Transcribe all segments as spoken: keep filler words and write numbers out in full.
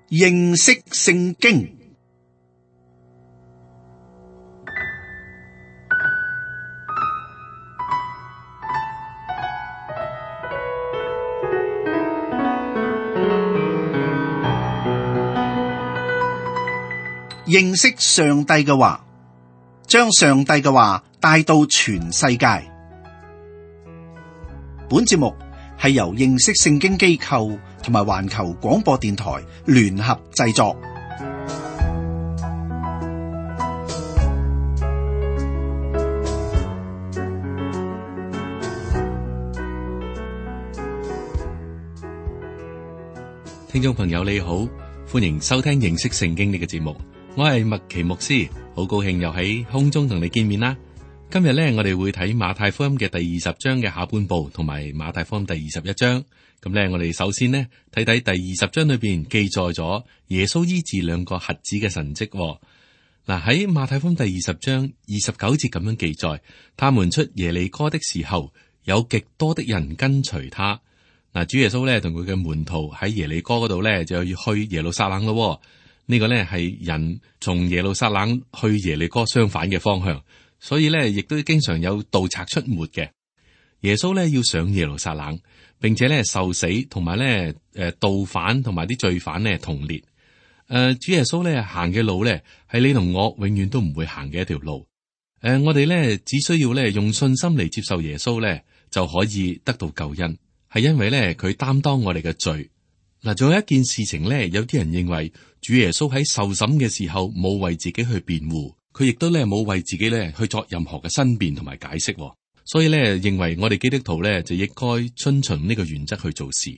認識聖經。認識上帝嘅話，將上帝嘅話帶到全世界。本節目係由認識聖經機構同埋環球廣播電台聯合製作。聽眾朋友你好，歡迎收聽認識聖經呢個節目。我係麥奇牧師，好高興又喺空中同你見面啦。今日咧，我哋會睇馬太福音嘅第二十章嘅下半部，同埋馬太福音第二十一章。咁咧，我哋首先呢睇睇第二十章裏邊記載咗耶穌醫治兩個瞎子嘅神蹟。嗱，喺馬太福音第二十章二十九節咁樣記載，他們出耶利哥的時候，有極多的人跟隨他。嗱，主耶穌咧同佢嘅門徒喺耶利哥嗰度咧就要去耶路撒冷咯。呢個呢係人從耶路撒冷去耶利哥相反嘅方向，所以呢亦都經常有盜賊出沒嘅。耶穌呢要上耶路撒冷，並且呢受死，同埋呢誒盜犯同埋啲罪犯呢同列。誒、呃，主耶穌呢行嘅路呢係你同我永遠都唔會行嘅一條路。誒、呃，我哋呢只需要呢用信心嚟接受耶穌呢就可以得到救恩，係因為呢佢擔當我哋嘅罪。嗱，仲有一件事情呢，有啲人認為主耶穌喺受審嘅時候冇為自己去辯護，佢亦都咧冇為自己咧去作任何嘅申辯同埋解釋，所以咧認為我哋基督徒咧就應該遵循呢個原則去做事。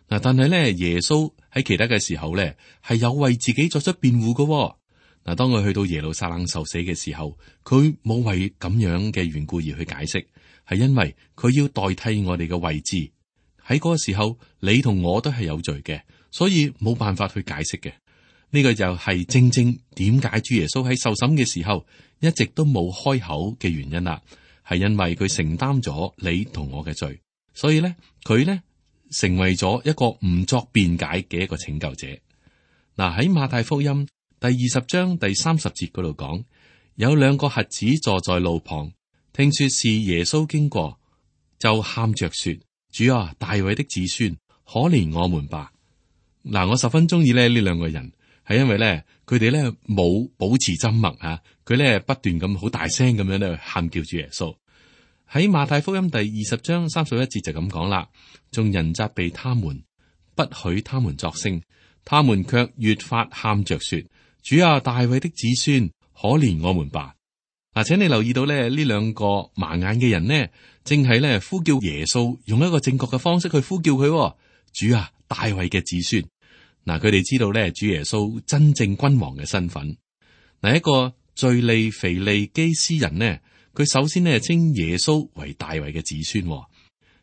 嗱，但係咧耶穌喺其他嘅時候咧係有為自己作出辯護嘅。嗱，當佢去到耶路撒冷受死嘅時候，佢冇為咁樣嘅緣故而去解釋，係因為佢要代替我哋嘅位置。喺嗰個時候，你同我都係有罪嘅，所以冇辦法去解釋嘅。呢個就係正正點解主耶穌喺受審嘅時候一直都冇開口嘅原因啦，係因為佢承擔咗你同我嘅罪，所以咧佢咧成為咗一個唔作辯解嘅一個拯救者。嗱，喺馬太福音第二十章第三十節嗰度講，有兩個瞎子坐在路旁，聽說是耶穌經過，就喊着說：主啊，大衛的子孫，可憐我們吧。嗱，我十分中意咧呢兩個人。係因為咧，佢哋咧冇保持緘默啊，佢咧不斷咁好大聲咁樣咧喊叫主耶穌。喺馬太福音第二十章三十一節就咁講啦，眾人責備他們，不許他們作聲，他們卻越發喊着說：主啊，大衛的子孫，可憐我們吧。嗱，請你留意到咧，呢兩個盲眼嘅人呢，正係咧呼叫耶穌，用一個正確嘅方式去呼叫佢。主啊，大衛嘅子孫。嗱，佢哋知道咧，主耶穌真正君王嘅身份。嗱，一個敘利腓利基斯人呢，佢首先呢稱耶穌為大衛嘅子孫，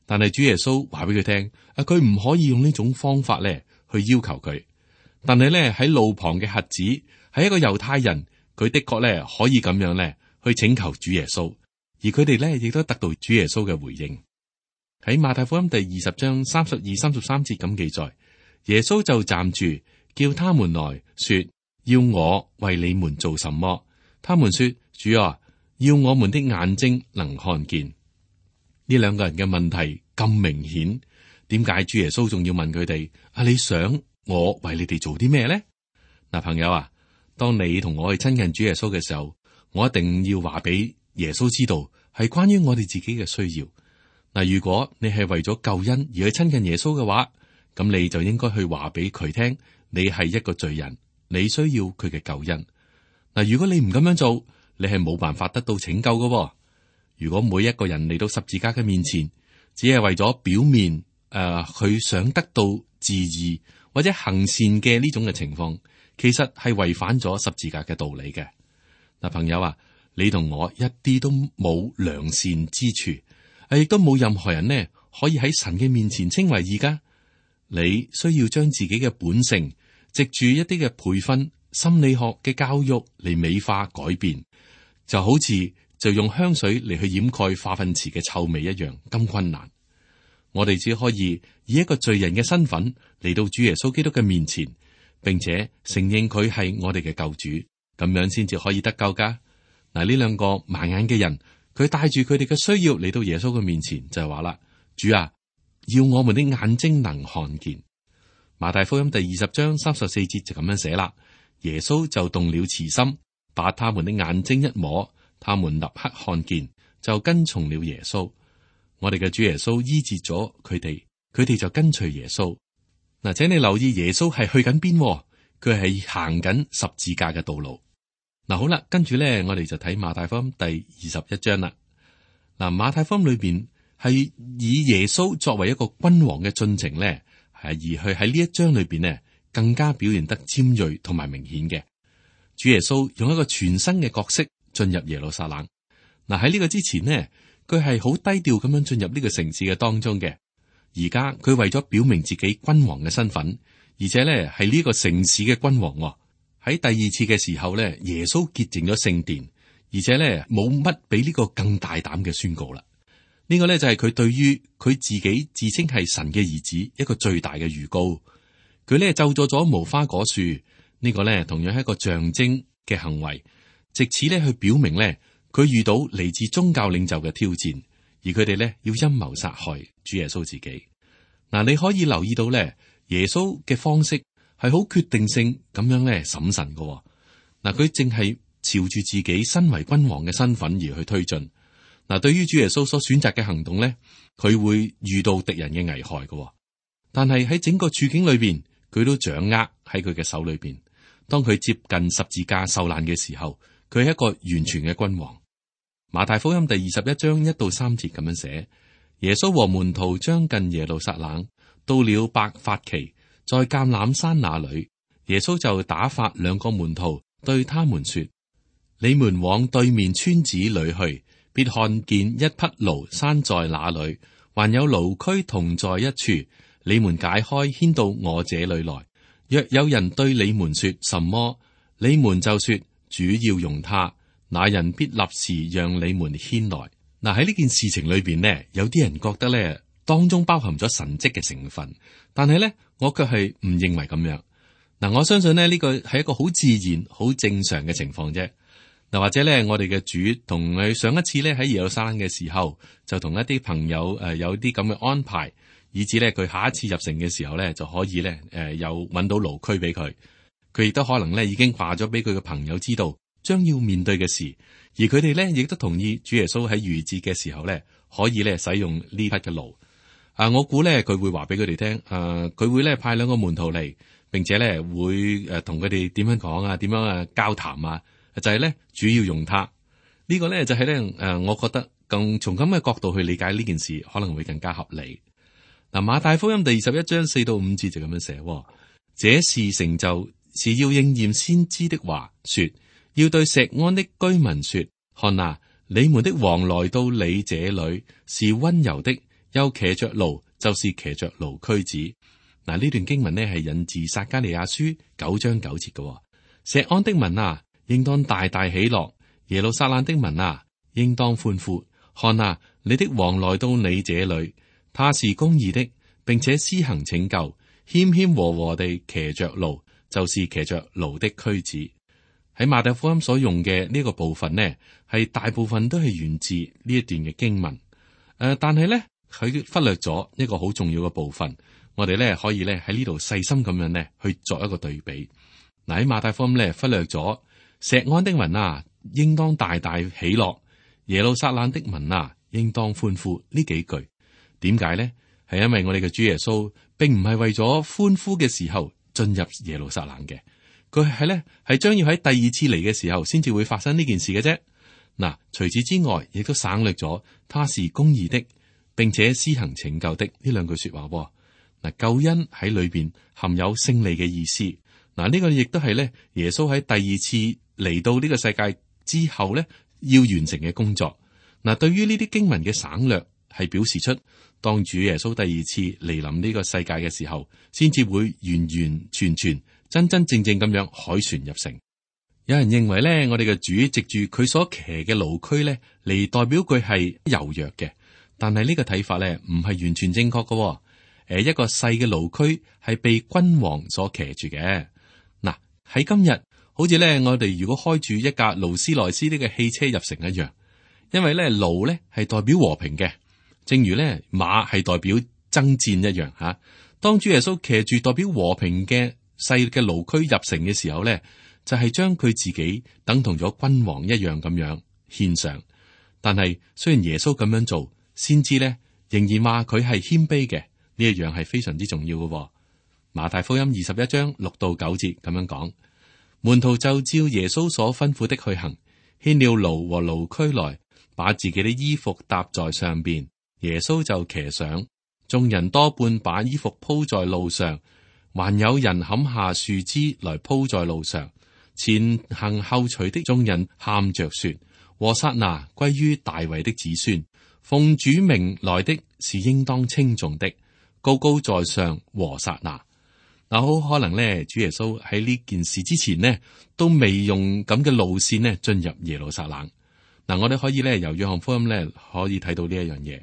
但係主耶穌話俾佢聽，啊，佢唔可以用呢種方法咧去要求佢。但係咧喺路旁嘅瞎子係一個猶太人，佢的確咧可以咁樣咧去請求主耶穌，而佢哋咧亦都得到主耶穌嘅回應。喺馬太福音第二十章三十二、三十三節咁記載。耶穌就站住，叫他們來說：要我為你們做什麼？他們說：主啊，要我們的眼睛能看見。呢兩個人嘅問題咁明顯，點解主耶穌仲要問佢哋？啊，你想我為你哋做啲咩呢？嗱，朋友啊，當你同我去親近主耶穌嘅時候，我一定要話俾耶穌知道，係關於我哋自己嘅需要。嗱，如果你係為咗救恩而去親近耶穌嘅話，咁你就應該去話俾佢聽，你係一個罪人，你需要佢嘅救恩。嗱，如果你唔咁樣做，你係冇辦法得到拯救嘅。如果每一個人嚟到十字架嘅面前，只係為咗表面誒，佢、呃、想得到自義或者行善嘅呢種嘅情況，其實係違反咗十字架嘅道理嘅。嗱，朋友啊，你同我一啲都冇良善之處，亦都冇任何人呢可以喺神嘅面前稱為義噶。你需要將自己嘅本性，藉住一啲嘅培訓、心理學嘅教育嚟美化改變，就好似就用香水嚟去掩蓋化糞池嘅臭味一樣咁困難。我哋只可以以一個罪人嘅身份嚟到主耶穌基督嘅面前，並且承認佢係我哋嘅救主，咁樣先至可以得救噶。嗱，呢兩個盲眼嘅人，佢帶住佢哋嘅需要嚟到耶穌嘅面前，就係話啦：主啊，要我們的眼睛能看見。馬太福音第二十章三十四節就咁樣寫啦。耶穌就動了慈心，把他們的眼睛一摸，他們立刻看見，就跟從了耶穌。我哋嘅主耶穌醫治咗佢哋，佢哋就跟隨耶穌。嗱，請你留意耶穌係去緊邊，佢係行緊十字架嘅道路。嗱，好啦，跟住咧，我哋就睇馬太福音第二十一章啦。嗱，馬太福音裏邊係以耶穌作為一個君王嘅進程咧，係而去喺呢一章裏邊呢，更加表現得尖銳同埋明顯嘅。主耶穌用一個全新嘅角色進入耶路撒冷。嗱，喺呢個之前呢，佢係好低調咁樣進入呢個城市嘅當中嘅。而家佢為咗表明自己君王嘅身份，而且咧係呢個城市嘅君王。喺第二次嘅時候咧，耶穌潔淨咗聖殿，而且咧冇乜比呢個更大膽嘅宣告啦。呢個咧就係佢對於佢自己自稱係神嘅兒子一個最大嘅預告。佢咧咒詛咗無花果樹，呢個咧同樣係一個象徵嘅行為，借此咧去表明咧佢遇到嚟自宗教領袖嘅挑戰，而佢哋咧要陰謀殺害主耶穌自己。嗱，你可以留意到咧，耶穌嘅方式係好決定性咁樣咧審慎嘅。嗱，佢正係朝住自己身為君王嘅身份而去推進。嗱，對於主耶穌所選擇嘅行動咧，佢會遇到敵人嘅危害嘅。但係喺整個處境裏邊，佢都掌握喺佢嘅手裏邊。當佢接近十字架受難嘅時候，佢係一個完全嘅君王。馬太福音第二十一章一到三節咁樣寫：耶穌和門徒將近耶路撒冷，到了伯法其，在橄欖山那裏，耶穌就打發兩個門徒對他們說：你們往對面村子裏去，必看見一匹驢拴在那裏，還有驢駒同在一處，你們解開牽到我這裏來。若有人對你們說什麼，你們就說主要用他，那人必立時讓你們牽來。嗱，喺呢件事情裏邊呢，有啲人覺得咧當中包含咗神蹟嘅成分，但係咧我卻係唔認為咁樣。嗱，我相信呢，呢個係一個好自然、好正常嘅情況啫。嗱，或者咧我哋嘅主同佢上一次咧喺耶路撒冷嘅時候，就同一啲朋友誒有啲咁嘅安排，以至咧佢下一次入城嘅時候咧就可以咧誒有揾到驢駒俾佢。佢亦都可能咧已經話咗俾佢嘅朋友知道將要面對嘅事，而佢哋咧亦都同意主耶穌喺逾節嘅時候咧可以咧使用呢匹嘅驢。啊，我估咧佢會話俾佢哋聽，誒、啊，佢會咧派兩個門徒嚟，並且咧會誒同佢哋點樣講啊，點樣啊交談啊，就係、是、咧主要用它。這個、呢個咧就係咧誒，我覺得更從咁嘅角度去理解呢件事，可能會更加合理。嗱、啊，馬太福音第二十一章四到五節就咁樣寫，這事成就是要應驗先知的話，說要對錫安的居民說：看啊，你們的王來到你這裏，是溫柔的。又騎着驢，就是騎着驢駒子。嗱，呢段經文呢係引自撒迦利亞書九章九節嘅。錫安的民啊，應當大大喜樂；耶路撒冷的民啊，應當歡呼。看啊，你的王來到你這裏，他是公義的，並且施行拯救，謙謙和和地騎着驢，就是騎着驢的駒子。喺馬太福音所用嘅呢個部分呢，係大部分都係源自呢一段嘅經文。誒、呃，但係咧。佢忽略咗一個好重要嘅部分，我哋咧可以咧喺呢度細心咁樣咧去作一個對比。嗱，喺馬太福音咧忽略咗錫安的民啊，應當大大喜樂；耶路撒冷的民啊，應當歡呼。呢幾句點解咧？係因為我哋嘅主耶穌並唔係為咗歡呼嘅時候進入耶路撒冷嘅，佢係咧係將要喺第二次嚟嘅時候先至會發生呢件事嘅啫。嗱，除此之外，亦都省略咗他是公義的，並且施行拯救的呢兩句說話。嗱，救恩喺裏邊含有勝利嘅意思。嗱，呢個亦都係咧耶穌喺第二次嚟到呢個世界之後咧要完成嘅工作。嗱，對於呢啲經文嘅省略，係表示出當主耶穌第二次嚟臨呢個世界嘅時候，先至會完完全全、真真正正咁樣凱旋入城。有人認為咧，我哋嘅主藉住佢所騎嘅驢駒咧嚟代表佢係柔弱嘅。但係呢個睇法咧，唔係完全正確嘅。誒，一個細嘅驢駒係被君王所騎住嘅。喺今日，好似咧我哋如果開住一架勞斯萊斯呢個汽車入城一樣，因為咧勞咧係代表和平嘅，正如咧馬係代表爭戰一樣吓。當主耶穌騎住代表和平嘅細嘅驢駒入城嘅時候咧，就係將佢自己等同咗君王一樣咁樣獻上。但係雖然耶穌咁樣做，先知咧仍然話佢係謙卑嘅，呢一樣係非常之重要嘅。馬太福音二十一章六到九節咁樣講，門徒就照耶穌所吩咐的去行，牽了驢和驢駒來，把自己的衣服搭在上邊，耶穌就騎上。眾人多半把衣服鋪在路上，還有人砍下樹枝來鋪在路上。前行後隨的眾人喊着說：和散那歸於大衛的子孫，奉主名來的是應當稱頌的，高高在上，和散那。嗱，好可能咧，主耶穌喺呢件事之前呢，都未用咁嘅路線呢進入耶路撒冷。嗱，我哋可以咧由約翰福音咧可以睇到呢一樣嘢。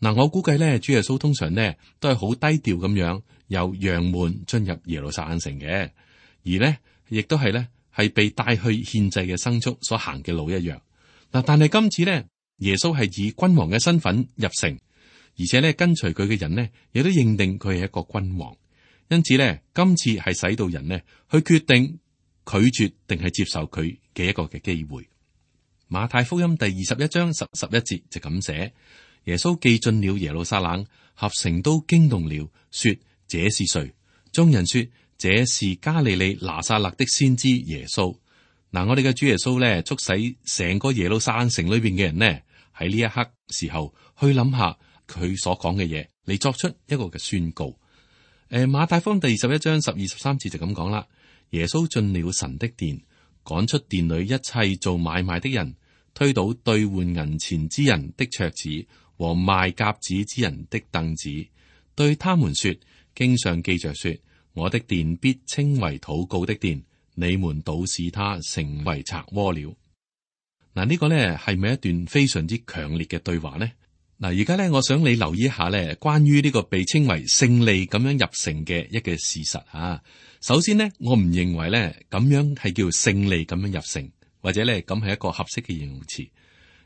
嗱，我估計咧，主耶穌通常呢都係好低調咁樣由羊門進入耶路撒冷城嘅，而呢亦都係咧係被帶去獻祭嘅牲畜所行嘅路一樣。嗱，但係今次呢，耶穌係以君王嘅身份入城，而且咧跟隨佢嘅人呢亦都認定佢係一個君王，因此咧今次係使到人呢去決定拒絕定係接受佢嘅一個嘅機會。馬太福音第二十一章十十一節就咁寫。耶穌既進了耶路撒冷，合城都驚動了，說：這是誰？眾人說：這是加利利拿撒勒的先知耶穌。嗱，我哋嘅主耶穌咧，促使成個耶路撒冷城裏邊嘅人呢，喺呢一刻時候去諗下佢所講嘅嘢，嚟作出一個嘅宣告。誒，馬太福音第二十一章十二十三節就咁講啦。耶穌進了神的殿，趕出殿裏一切做買賣的人，推倒兌換銀錢之人的桌子和賣鴿子之人的凳子，對他們說：經上記着說，我的殿必稱為禱告的殿，你們倒使他成為賊窩了。嗱，呢個呢係咪一段非常之強烈嘅對話呢？嗱，而家呢，我想你留意一下呢，關於呢個被稱為勝利咁樣入城嘅一個事實啊。首先呢，我唔認為呢咁樣係叫勝利咁樣入城，或者呢咁係一個合適嘅形容詞，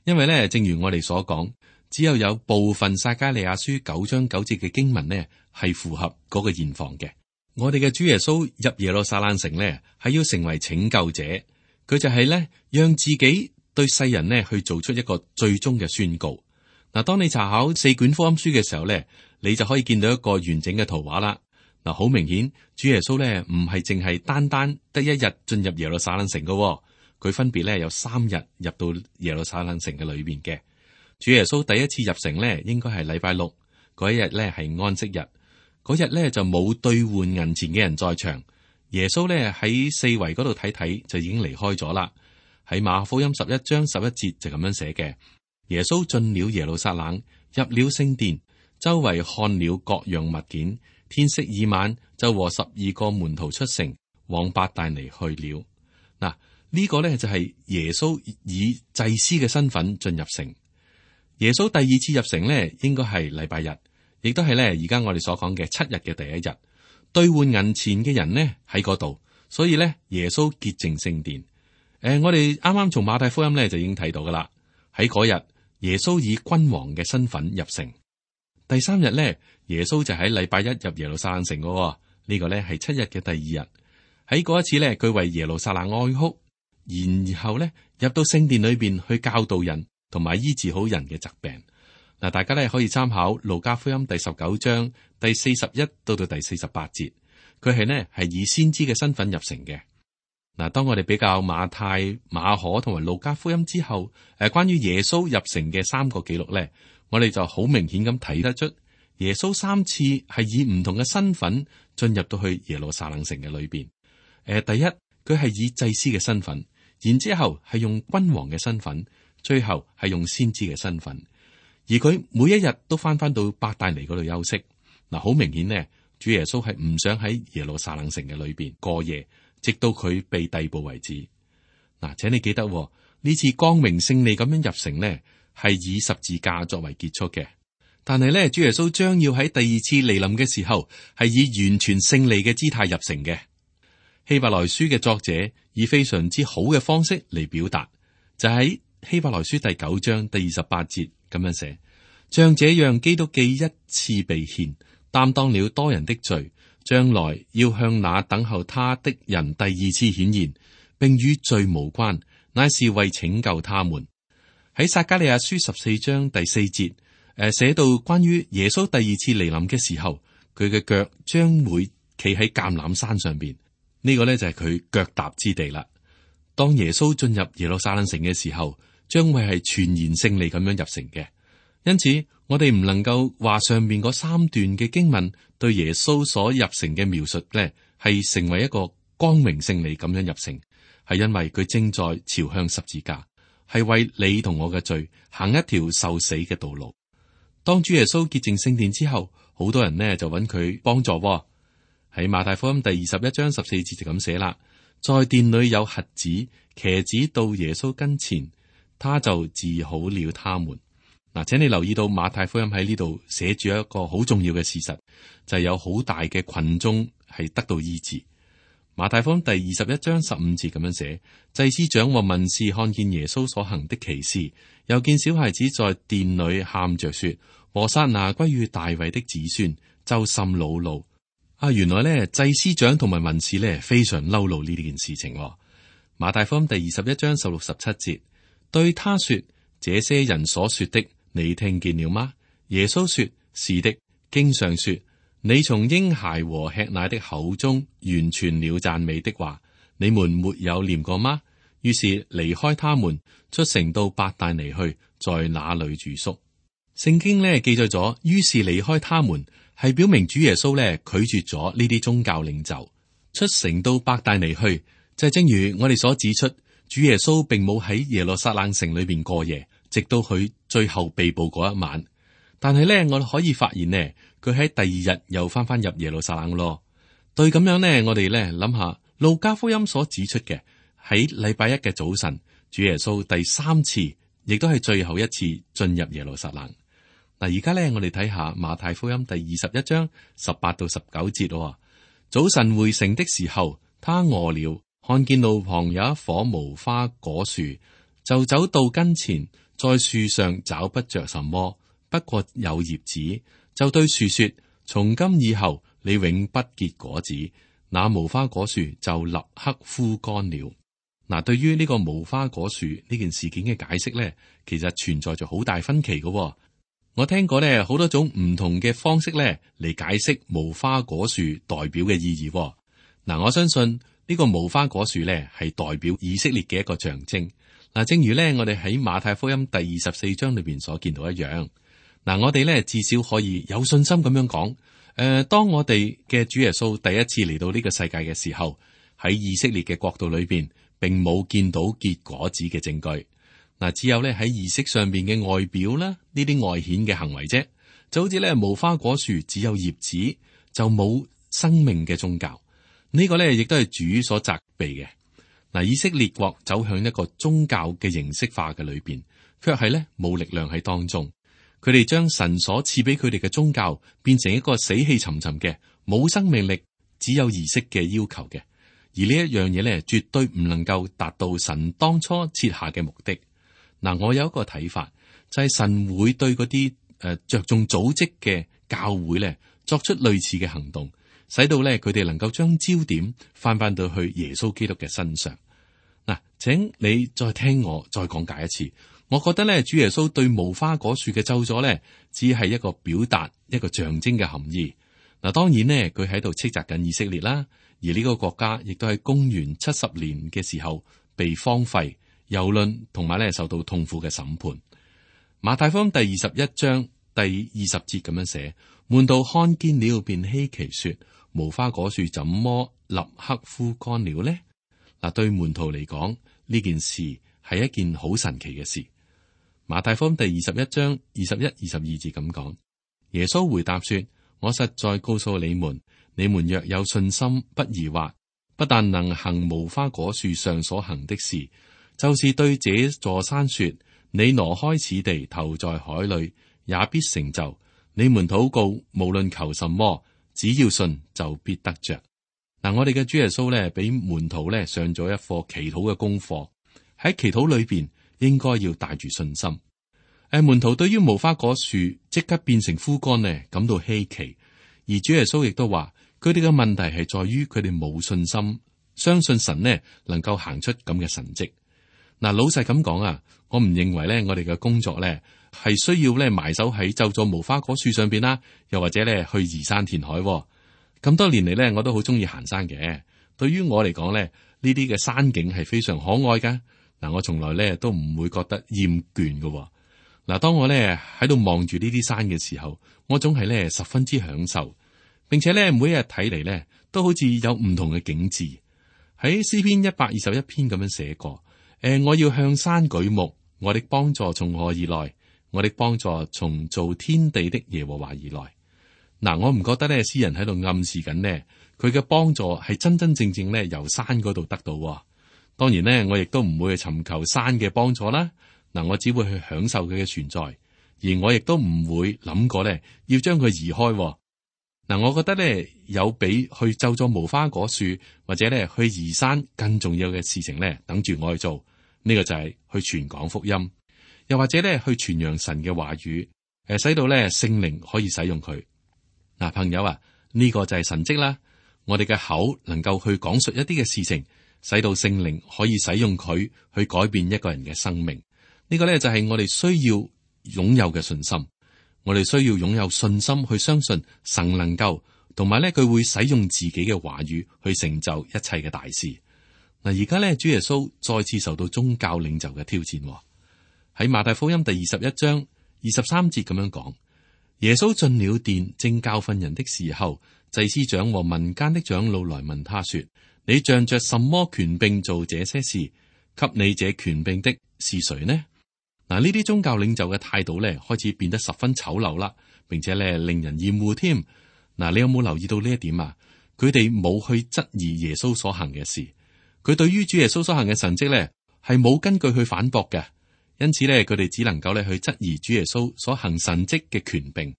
因為呢，正如我哋所講。只有有部分撒迦利亞書九章九節嘅經文呢，係符合嗰個現況嘅。我哋嘅主耶穌入耶路撒冷城呢，係要成為拯救者，佢就係呢，讓自己對世人呢去做出一個最終嘅宣告。嗱，當你查考四卷福音書嘅時候呢，你就可以見到一個完整嘅圖畫啦。嗱，好明顯，主耶穌呢唔係淨係單單得一日進入耶路撒冷城嘅，佢分別呢有三日入到耶路撒冷城嘅裏邊嘅。主耶穌第一次入城呢，應該係禮拜六嗰一日呢，係安息日。嗰日呢，就冇兌換銀錢嘅人在場。耶穌呢，喺四圍嗰度睇睇就已經離開咗啦。喺馬可福音十一章十一節就咁樣寫嘅：耶穌進了耶路撒冷，入了聖殿，周圍看了各樣物件。天色已晚，就和十二個門徒出城，往伯大尼去了。嗱，呢個呢，就係耶穌以祭司嘅身份進入城。耶穌第二次入城呢，應該係禮拜日，亦都係咧而家我哋所講嘅七日嘅第一日。兌換銀錢嘅人呢喺嗰度，所以咧耶穌潔淨聖殿。誒、呃，我哋啱啱從馬太福音咧就已經睇到噶啦。喺嗰日，耶穌以君王嘅身份入城。第三日咧，耶穌就喺禮拜一入耶路撒冷城噶、哦。呢、這個咧係七日嘅第二日。喺嗰一次咧，佢為耶路撒冷哀哭，然後咧入到聖殿裏邊去教導人。同埋醫治好人嘅疾病。嗱，大家咧可以參考路加福音第十九章第四十一到到第四十八節，佢係呢係以先知嘅身份入城嘅。嗱，當我哋比較馬太、馬可同埋路加福音之後，誒，關於耶穌入城嘅三個記錄咧，我哋就好明顯咁睇得出，耶穌三次係以唔同嘅身份進入到去耶路撒冷城嘅裏邊。誒，第一，佢係以祭司嘅身份，然之後係用君王嘅身份。最後係用先知嘅身份，而佢每一日都翻翻到伯大尼嗰度休息。嗱，好明顯呢，主耶穌係唔想喺耶路撒冷城嘅裏邊過夜，直到佢被逮捕為止。嗱，請你記得呢次光榮勝利咁樣入城呢，係以十字架作為結束嘅。但係呢，主耶穌將要喺第二次嚟臨嘅時候，係以完全勝利嘅姿態入城嘅。希伯來書嘅作者以非常之好嘅方式嚟表達，就喺希伯來書第九章第二十八節咁樣寫：像這樣，基督既一次被獻，擔當了多人的罪，將來要向那等候他的人第二次顯現，並與罪無關，乃是為拯救他們。喺撒迦利亞書十四章第四節，誒、呃、寫到關於耶穌第二次嚟臨嘅時候，佢嘅腳將會企喺橄欖山上邊。呢個呢就係佢腳踏之地啦。當耶穌進入耶路撒冷城嘅時候，將會係全然勝利咁樣入城嘅。因此，我哋唔能夠話上面嗰三段嘅經文對耶穌所入城嘅描述呢，係成為一個光榮勝利咁樣入城，係因為佢正在朝向十字架，係為你同我嘅罪行一條受死嘅道路。當主耶穌潔淨聖殿之後，好多人呢就揾佢幫助。喺馬太福音第二十一章十四節就咁寫啦，在殿裏有瞎子、瘸子到耶穌跟前，他就治好了他們。嗱，請你留意到馬太福音喺呢度寫住一個好重要嘅事實，就係、是、有好大嘅群眾係得到醫治。馬太福音第二十一章十五節咁樣寫，祭司長和文士看見耶穌所行的奇事，又見小孩子在殿裏喊着說：和散那歸於大衛的子孫，就甚惱怒。啊，原來咧祭司長同埋文士咧非常嬲怒呢件事情。馬太福音第二十一章十六十七節，對他說：這些人所說的，你聽見了嗎？耶穌說：是的。經上說：你從嬰孩和吃奶的口中完全了讚美的話，你們沒有念過嗎？於是離開他們，出城到伯大尼去，在那裏住宿。聖經咧記載咗，於是離開他們，係表明主耶穌咧拒絕咗呢啲宗教領袖，出城到伯大尼去，就係、是、正如我哋所指出，主耶穌並冇喺耶路撒冷城裏邊過夜，直到佢最後被捕嗰一晚。但係咧，我哋可以發現呢，佢喺第二日又翻翻入耶路撒冷咯。對咁樣呢，我哋咧諗下路加福音所指出嘅，喺禮拜一嘅早晨，主耶穌第三次，亦都係最後一次進入耶路撒冷。嗱，而家咧，我哋睇下馬太福音第二十一章十八到十九節。早晨回城的時候，他餓了，看見路旁有一棵無花果樹，就走到跟前，在樹上找不着什麼，不過有葉子，就對樹說：從今以後，你永不結果子。那無花果樹就立刻枯乾了。嗱，對於呢個無花果樹呢件事件嘅解釋咧，其實存在咗好大分歧嘅。我聽過咧好多種唔同嘅方式咧嚟解釋無花果樹代表嘅意義。嗱，我相信呢個無花果樹咧係代表以色列嘅一個象徵。嗱，正如咧我哋喺馬太福音第二十四章裏邊所見到一樣。嗱，我哋咧至少可以有信心咁樣講，誒、呃，當我哋嘅主耶穌第一次嚟到呢個世界嘅時候，喺以色列嘅國度裏邊，並冇見到結果子嘅證據。嗱，只有咧喺儀式上邊嘅外表啦，呢啲外顯嘅行為啫，就好似咧無花果樹只有葉子就冇生命嘅宗教，呢、這個咧亦都係主所責備嘅。嗱，以色列國走向一個宗教嘅形式化嘅裏邊，卻係咧冇力量喺當中，佢哋將神所賜俾佢哋嘅宗教變成一個死氣沉沉嘅冇生命力、只有儀式嘅要求嘅，而呢一樣嘢咧絕對唔能夠達到神當初設下嘅目的。嗱，我有一個睇法，就係、是、神會對嗰啲誒着重組織嘅教會咧，作出類似嘅行動，使到咧佢哋能夠將焦點翻翻到去耶穌基督嘅身上。嗱，請你再聽我再講解一次。我覺得咧，主耶穌對無花果樹嘅咒詛咧，只係一個表達一個象徵嘅含義。嗱，當然呢，佢喺度斥責緊以色列啦，而呢個國家亦都喺公元七十年嘅時候被荒廢。蹂躪同埋咧受到痛苦嘅審判。馬太福音第二十一章第二十節咁樣寫：門徒看見了，便稀奇說：無花果樹怎麼立刻枯乾了呢？嗱，對門徒嚟講，呢件事係一件好神奇嘅事。馬太福音第二十一章二十一、二十二節咁講：耶穌回答說：我實在告訴你們，你們若有信心，不疑惑，不但能行無花果樹上所行的事，就是對這座山說：你挪開此地，投在海裏，也必成就。你們禱告，無論求什麼，只要信，就必得着。嗱，我哋嘅主耶穌咧，俾門徒咧上咗一課祈禱嘅功課。喺祈禱裏邊，應該要帶住信心。誒，門徒對於無花果樹即刻變成枯乾呢，感到稀奇。而主耶穌亦都話，佢哋嘅問題係在於佢哋冇信心，相信神呢能夠行出咁嘅神蹟。嗱，老實咁講啊，我唔認為咧，我哋嘅工作咧係需要咧埋手喺就座無花果樹上邊啦，又或者咧去移山填海。咁多年嚟咧，我都好中意行山嘅。對於我嚟講咧，呢啲嘅山景係非常可愛噶。嗱，我從來咧都唔會覺得厭倦嘅。嗱，當我咧喺度望住呢啲山嘅時候，我總係咧十分之享受，並且咧每一日睇嚟咧都好似有唔同嘅景致。喺詩篇一百二十一篇咁樣寫過，誒、呃，我要向山舉目，我的幫助從何而來？我的幫助從造天地的耶和華而來。嗱，我唔覺得咧詩人喺度暗示緊呢，佢嘅幫助係真真正正咧由山嗰度得到。當然呢，我亦都唔會去尋求山嘅幫助啦。嗱，我只會去享受佢嘅存在，而我亦都唔會諗過咧要將佢移開。嗱，我覺得咧有比去就咗無花果樹或者咧去移山更重要嘅事情咧等住我去做。呢個就係去傳講福音，又或者咧去傳揚神嘅話語，誒，使到咧聖靈可以使用佢。嗱，朋友啊，呢個就係神蹟啦。我哋嘅口能夠去講述一啲嘅事情，使到聖靈可以使用佢去改變一個人嘅生命。呢個咧就係我哋需要擁有嘅信心。我哋需要擁有信心去相信神能夠，同埋咧佢會使用自己嘅話語去成就一切嘅大事。嗱，而家咧主耶穌再次受到宗教領袖嘅挑戰。喺馬太福音第二十一章二十三節咁樣講，耶穌進了殿，正教訓人的時候，祭司長和民間的長老來問他說：你仗着什麼權柄做這些事？給你這權柄的是誰呢？嗱，呢啲宗教領袖嘅態度咧，開始變得十分醜陋啦，並且咧令人厭惡添。嗱，你有冇留意到呢一點啊？佢哋冇去質疑耶穌所行嘅事，佢對於主耶穌所行嘅神蹟咧，係冇根據去反駁嘅，因此咧，佢哋只能夠咧去質疑主耶穌所行神蹟嘅權柄。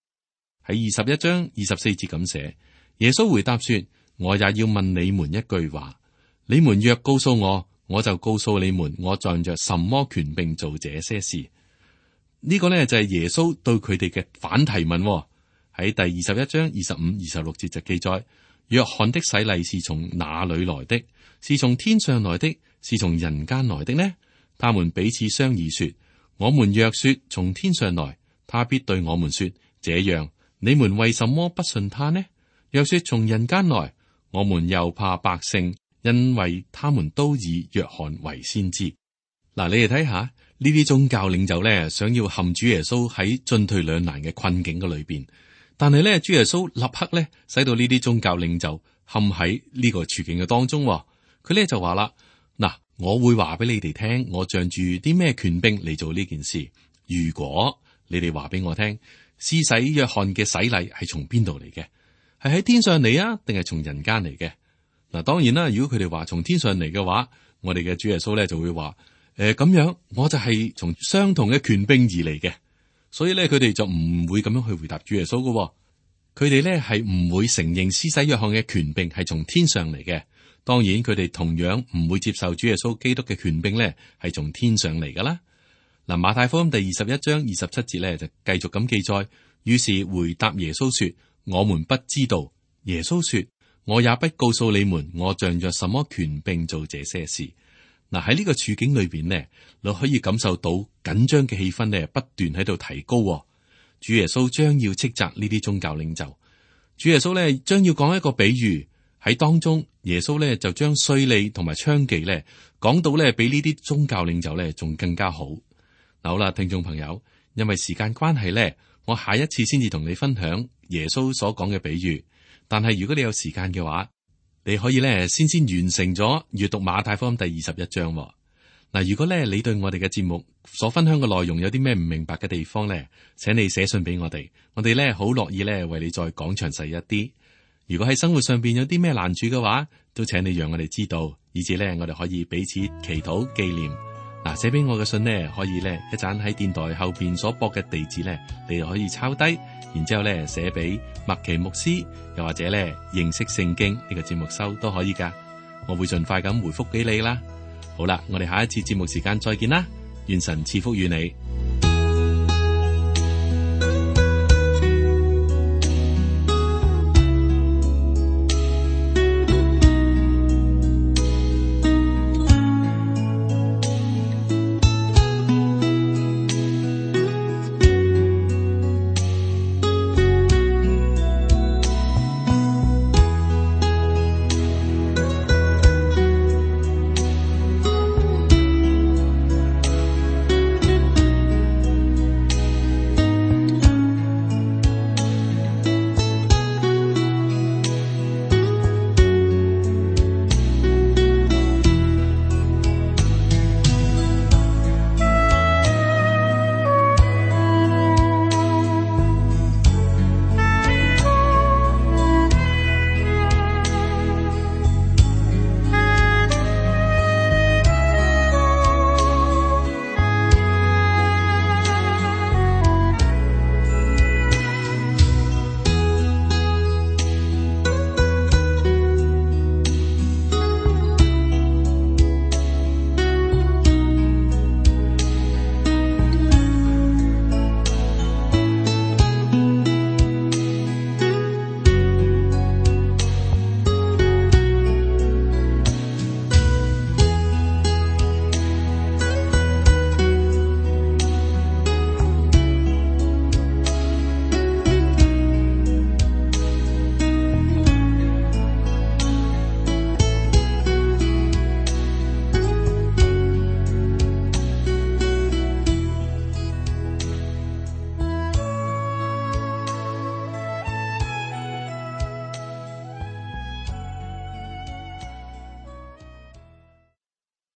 喺二十一章二十四節咁寫，耶穌回答說：我也要問你們一句話，你們若告訴我，我就告訴你們，我仗着什麼權柄做這些事。呢、這個呢，就係耶穌對佢哋嘅反提問。喺第二十一章二十五、二十六節就記載：約翰的洗禮是從哪裏來的？是從天上來的，是從人間來的呢？他們彼此商議說：我們若說從天上來，他必對我們說：這樣，你們為什麼不信他呢？若說從人間來，我們又怕百姓，因為他們都以約翰為先知。嗱，你哋睇下呢啲宗教領袖咧，想要陷主耶穌喺進退兩難嘅困境嘅裏邊，但係咧，主耶穌立刻咧，使到呢啲宗教領袖陷喺呢個處境嘅當中。佢咧就話啦：嗱，我會話俾你哋聽，我仗住啲咩權柄嚟做呢件事。如果你哋話俾我聽，施洗約翰嘅洗禮係從邊度嚟嘅？係喺天上嚟啊，定係從人間嚟嘅？嗱，當然啦，如果佢哋話從天上嚟嘅話，我哋嘅主耶穌咧就會話：誒，咁樣我就係從相同嘅權柄而嚟嘅。所以咧，佢哋就唔會咁樣去回答主耶穌嘅。佢哋咧係唔會承認施洗約翰嘅權柄係從天上嚟嘅。當然，佢哋同樣唔會接受主耶穌基督嘅權柄咧係從天上嚟噶啦。嗱，馬太福音第二十一章二十七節咧就繼續咁記載，於是回答耶穌說：我們不知道。耶穌說：我也不告訴你們，我仗着什麼權柄做這些事。嗱，喺呢個處境裏邊呢，你可以感受到緊張嘅氣氛呢不斷喺度提高。主耶穌將要斥責呢啲宗教領袖。主耶穌呢將要講一個比喻，喺當中耶穌呢就將稅吏同埋娼妓呢講到呢比呢啲宗教領袖呢仲更加好。嗱，好啦，聽眾朋友，因為時間關係呢，我下一次先至同你分享耶穌所講嘅比喻。但係如果你有時間嘅話，你可以咧先先完成咗閱讀馬太福音第二十一章。嗱，如果咧你對我哋嘅節目所分享嘅內容有啲咩唔明白嘅地方咧，請你寫信俾我哋，我哋咧好樂意咧為你再講詳細一啲。如果喺生活上邊有啲咩難處嘅話，都請你讓我哋知道，以至咧我哋可以彼此祈禱紀念。嗱，寫俾我嘅信呢，可以咧一陣喺電台後邊所播嘅地址咧，你就可以抄低，然之後咧寫俾麥奇牧師，又或者咧認識聖經呢個節目收都可以噶，我會盡快咁回覆俾你啦。好啦，我哋下一次節目時間再見啦，願神賜福與你。